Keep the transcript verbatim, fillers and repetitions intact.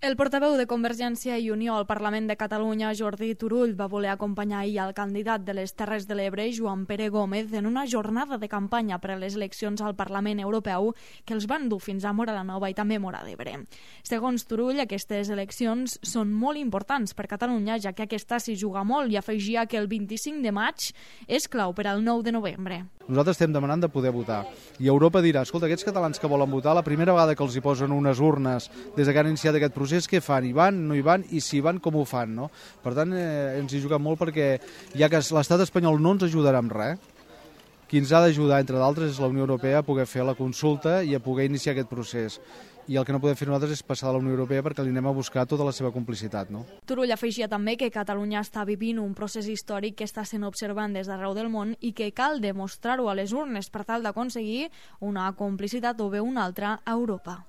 El portaveu de Convergència i Unió al Parlament de Catalunya, Jordi Turull, va voler acompanyar ahir el candidat de les Terres de l'Ebre, Joan Pere Gómez, en una jornada de campanya per a les eleccions al Parlament Europeu que els van dur fins a Móra la Nova i també Móra d'Ebre. Segons Turull, aquestes eleccions són molt importants per Catalunya, ja que aquesta s'hi juga molt, i afegia que el vint-i-cinc de maig és clau per al nou de novembre. Nosaltres estem demanant de poder votar. I Europa dirà, escolta, aquests catalans que volen votar, la primera vegada que els hi posen unes urnes des que han iniciat aquest procés, què fan? Hi van, no hi van? I si van, com ho fan? No? Per tant, eh, ens hi juguem molt perquè ja que l'estat espanyol no ens ajudarà amb res, qui ens ha d'ajudar, entre d'altres, és la Unió Europea a poder fer la consulta i a poder iniciar aquest procés. I el que no podem fer nosaltres és passar de la Unió Europea perquè li anem a buscar tota la seva complicitat. No? Turull afegia també que Catalunya està vivint un procés històric que està sent observant des d'arreu del món i que cal demostrar-ho a les urnes per tal d'aconseguir una complicitat o bé una altra a Europa.